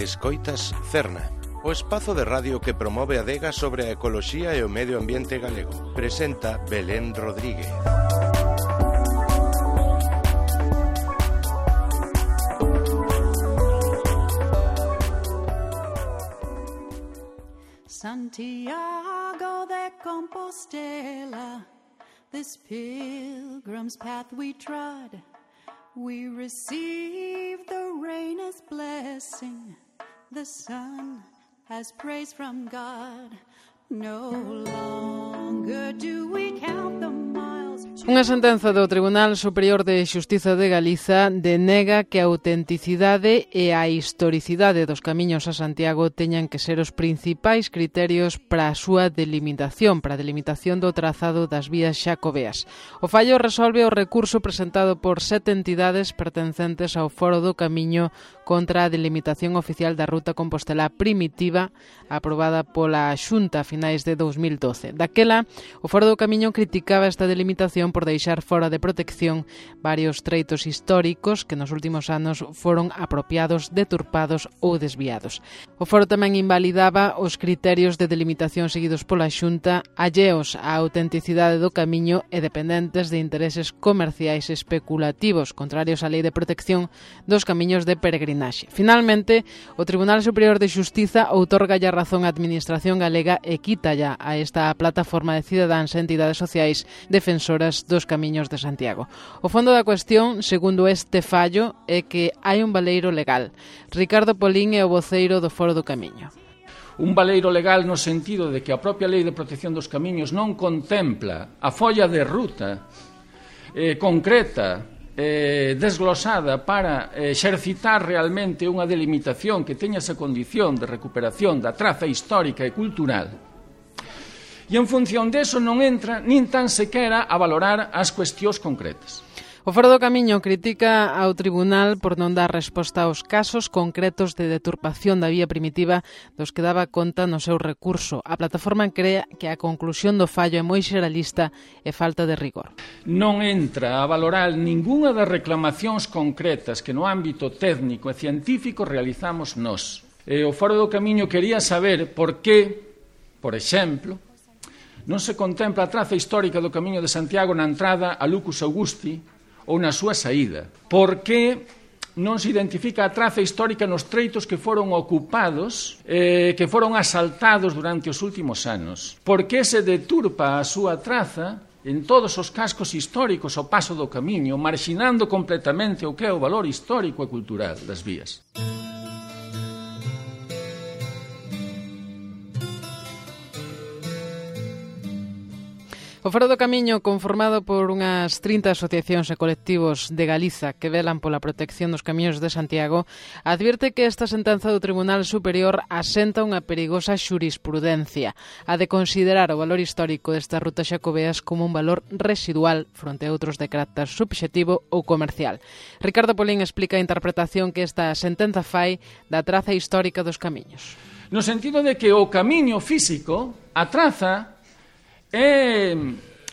Escoitas Cerna, o espazo de radio que promove a adega sobre a ecoloxía e o medio ambiente galego. Presenta Belén Rodríguez. Santiago de Compostela, this pilgrim's path we trod, we receive the rain as blessing, the sun as praise from God. No longer do we count the miles. Unha sentenza do Tribunal Superior de Xustiza de Galiza denega que a autenticidade e a historicidade dos camiños a Santiago teñan que ser os principais criterios para a súa delimitación, para a delimitación do trazado das vías xacobeas. O fallo resolve o recurso presentado por 7 entidades pertencentes ao Foro do Camiño contra a delimitación oficial da ruta compostelá primitiva aprobada pola Xunta a finais de 2012. Daquela, o Foro do Camiño criticaba esta delimitación por deixar fora de protección varios treitos históricos que nos últimos anos foron apropiados, deturpados ou desviados. O Foro tamén invalidaba os criterios de delimitación seguidos pola Xunta, alleos á autenticidade do camiño e dependentes de intereses comerciais especulativos, contrarios á Lei de Protección dos Camiños de Peregrinaxe. Finalmente, o Tribunal Superior de Xustiza outorgalle a razón á Administración galega e quítalla a esta plataforma de cidadáns e entidades sociais defensoras dos camiños de Santiago. O fondo da cuestión, segundo este fallo, é que hai un baleiro legal. Ricardo Polín é o voceiro do Foro do Camiño. Un baleiro legal no sentido de que a propia Lei de Protección dos Camiños non contempla a folla de ruta concreta, desglosada para exercitar realmente unha delimitación que teña esa condición de recuperación da traza histórica e cultural. E en función deso non entra nin tan sequera a valorar as cuestións concretas. O Foro do Camiño critica ao Tribunal por non dar resposta aos casos concretos de deturpación da vía primitiva dos que daba conta no seu recurso. A plataforma crea que a conclusión do fallo é moi xeralista e falta de rigor. Non entra a valorar ningunha das reclamacións concretas que no ámbito técnico e científico realizamos nós. O Foro do Camiño quería saber por que, por exemplo, non se contempla a traza histórica do Camiño de Santiago na entrada a Lucus Augusti ou na súa saída. Por que non se identifica a traza histórica nos treitos que foron ocupados, que foron asaltados durante os últimos anos? Por que se deturpa a súa traza en todos os cascos históricos ao paso do Camiño, marxinando completamente o que é o valor histórico e cultural das vías? O Foro do Camiño, conformado por unhas 30 asociacións e colectivos de Galiza que velan pola protección dos camiños de Santiago, advierte que esta sentenza do Tribunal Superior asenta unha perigosa xurisprudencia, a de considerar o valor histórico destas rutas xacobeas como un valor residual fronte a outros de carácter subxectivo ou comercial. Ricardo Polín explica a interpretación que esta sentenza fai da traza histórica dos camiños. No sentido de que o camiño físico, a traza, é,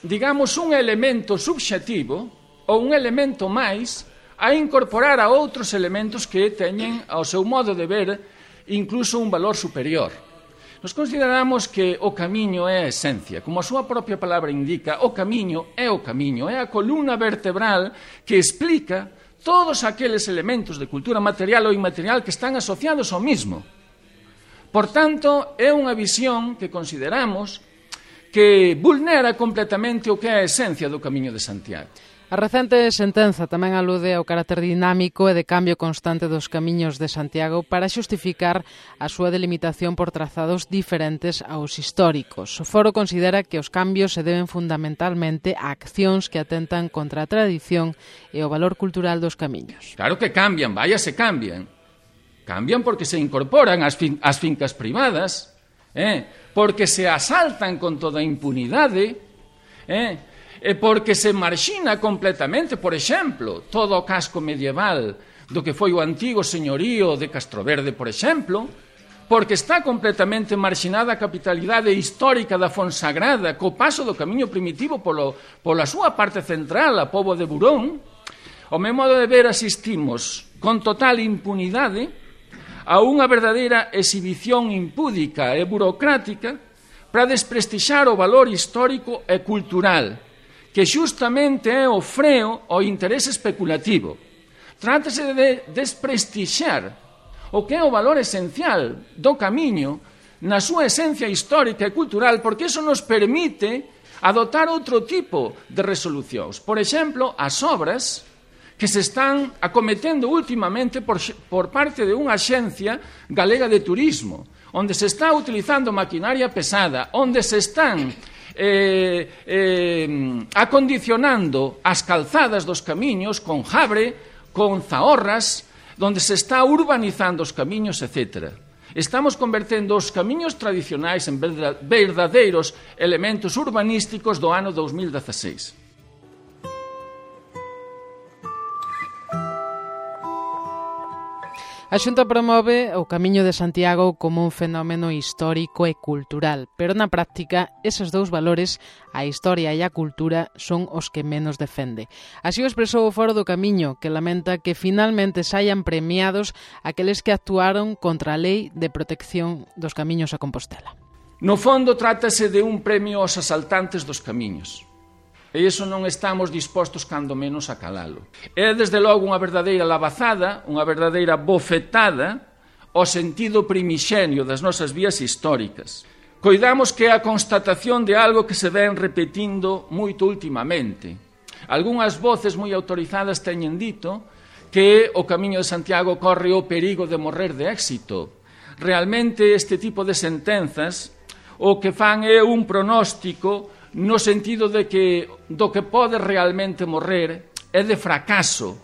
digamos, un elemento subxectivo ou un elemento máis a incorporar a outros elementos que teñen, ao seu modo de ver, incluso un valor superior. Nos consideramos que o camiño é a esencia. Como a súa propia palabra indica, o camiño, é a columna vertebral que explica todos aqueles elementos de cultura material ou inmaterial que están asociados ao mismo. Por tanto, é unha visión que consideramos que vulnera completamente o que é a esencia do Camiño de Santiago. A recente sentenza tamén alude ao carácter dinámico e de cambio constante dos camiños de Santiago para xustificar a súa delimitación por trazados diferentes aos históricos. O Foro considera que os cambios se deben fundamentalmente a accións que atentan contra a tradición e o valor cultural dos camiños. Claro que cambian, se cambian. Cambian porque se incorporan ás fincas privadas, porque se asaltan con toda impunidade, e porque se marxina completamente, por exemplo, todo o casco medieval do que foi o antigo señorío de Castroverde, por exemplo, porque está completamente marxinada a capitalidade histórica da Fonsagrada co paso do camiño primitivo pola súa parte central, a Pobo de Burón. Ao meu modo de ver, asistimos con total impunidade a unha verdadeira exhibición impúdica e burocrática para desprestixar o valor histórico e cultural, que xustamente é o freo ao interese especulativo. Trátase de desprestixar o que é o valor esencial do camiño na súa esencia histórica e cultural, porque iso nos permite adoptar outro tipo de resolucións. Por exemplo, as obras que se están acometendo últimamente por parte de unha axencia galega de turismo, onde se está utilizando maquinaria pesada, onde se están acondicionando as calzadas dos camiños con jabre, con zahorras, onde se está urbanizando os camiños, etc. Estamos convertendo os camiños tradicionais en verdadeiros elementos urbanísticos do ano 2016. A Xunta promove o Camiño de Santiago como un fenómeno histórico e cultural, pero na práctica eses dous valores, a historia e a cultura, son os que menos defende. Así o expresou o Foro do Camiño, que lamenta que finalmente saian premiados aqueles que actuaron contra a Lei de Protección dos Camiños a Compostela. No fondo, trátase de un premio aos asaltantes dos camiños. E iso non estamos dispostos cando menos a calalo. É, desde logo, unha verdadeira lavazada, unha verdadeira bofetada ao sentido primixenio das nosas vías históricas. Coidamos que é a constatación de algo que se ven repetindo moito últimamente. Algúnas voces moi autorizadas teñen dito que o Camiño de Santiago corre o perigo de morrer de éxito. Realmente, este tipo de sentenzas o que fan é un pronóstico no sentido de que do que pode realmente morrer é de fracaso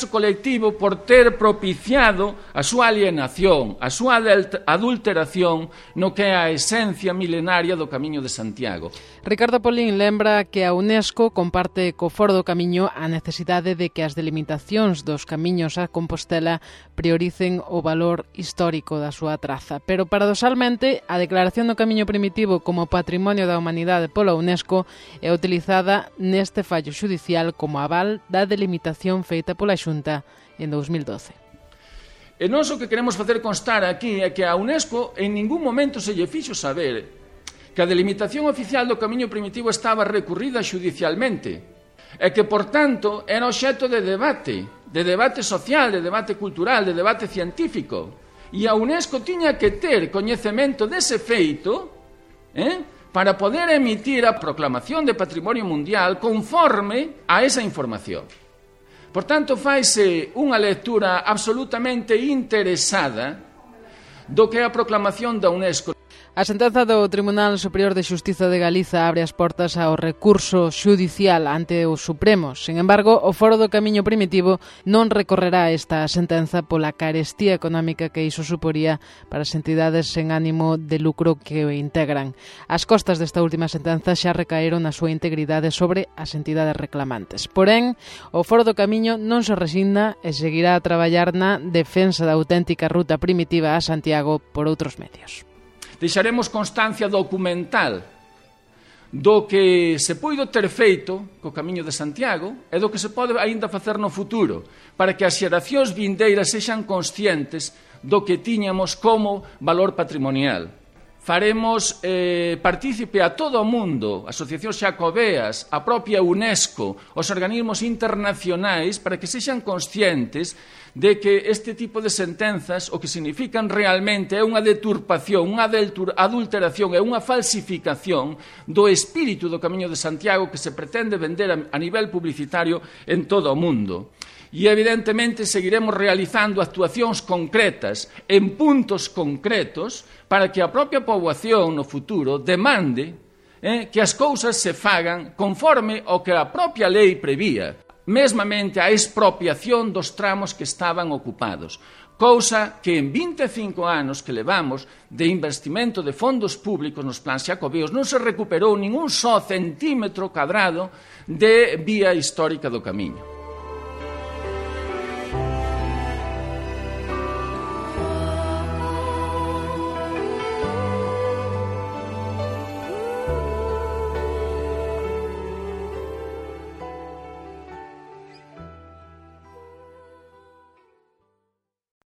colectivo por ter propiciado a súa alienación, a súa adulteración no que é a esencia milenaria do Camiño de Santiago. Ricardo Polín lembra que a UNESCO comparte co Foro do Camiño a necesidade de que as delimitacións dos camiños a Compostela prioricen o valor histórico da súa traza, pero paradoxalmente a declaración do Camiño Primitivo como Patrimonio da Humanidade pola UNESCO é utilizada neste fallo xudicial como aval da delimitación feita pola Xunta en 2012. E nós o que queremos facer constar aquí é que a UNESCO en ningún momento se lle fixo saber que a delimitación oficial do Camiño Primitivo estaba recurrida xudicialmente e que, por tanto, era obxecto de debate social, de debate cultural, de debate científico. E a UNESCO tiña que ter coñecemento dese feito para poder emitir a proclamación de Patrimonio Mundial conforme a esa información. Por tanto, faise unha lectura absolutamente interesada do que é a proclamación da UNESCO. A sentenza do Tribunal Superior de Xustiza de Galiza abre as portas ao recurso xudicial ante o Supremo. Sen embargo, o Foro do Camiño Primitivo non recorrerá esta sentenza pola carestía económica que iso suporía para as entidades sen ánimo de lucro que o integran. As costas desta última sentenza xa recaeron na súa integridade sobre as entidades reclamantes. Porén, o Foro do Camiño non se resigna e seguirá a traballar na defensa da auténtica ruta primitiva a Santiago por outros medios. Deixaremos constancia documental do que se puido ter feito co Camiño de Santiago e do que se pode aínda facer no futuro, para que as xeracións vindeiras sexan conscientes do que tiñamos como valor patrimonial. Faremos partícipe a todo o mundo, asociacións xacobeas, a propia UNESCO, os organismos internacionais, para que sexan conscientes de que este tipo de sentenzas o que significan realmente é unha deturpación, unha adulteración e unha falsificación do espírito do Camiño de Santiago que se pretende vender a nivel publicitario en todo o mundo. E, evidentemente, seguiremos realizando actuacións concretas en puntos concretos para que a propia poboación no futuro demande que as cousas se fagan conforme ao que a propia lei prevía, mesmamente a expropiación dos tramos que estaban ocupados, cousa que en 25 anos que levamos de investimento de fondos públicos nos plans xacobeos non se recuperou ningún só centímetro cadrado de vía histórica do Camiño.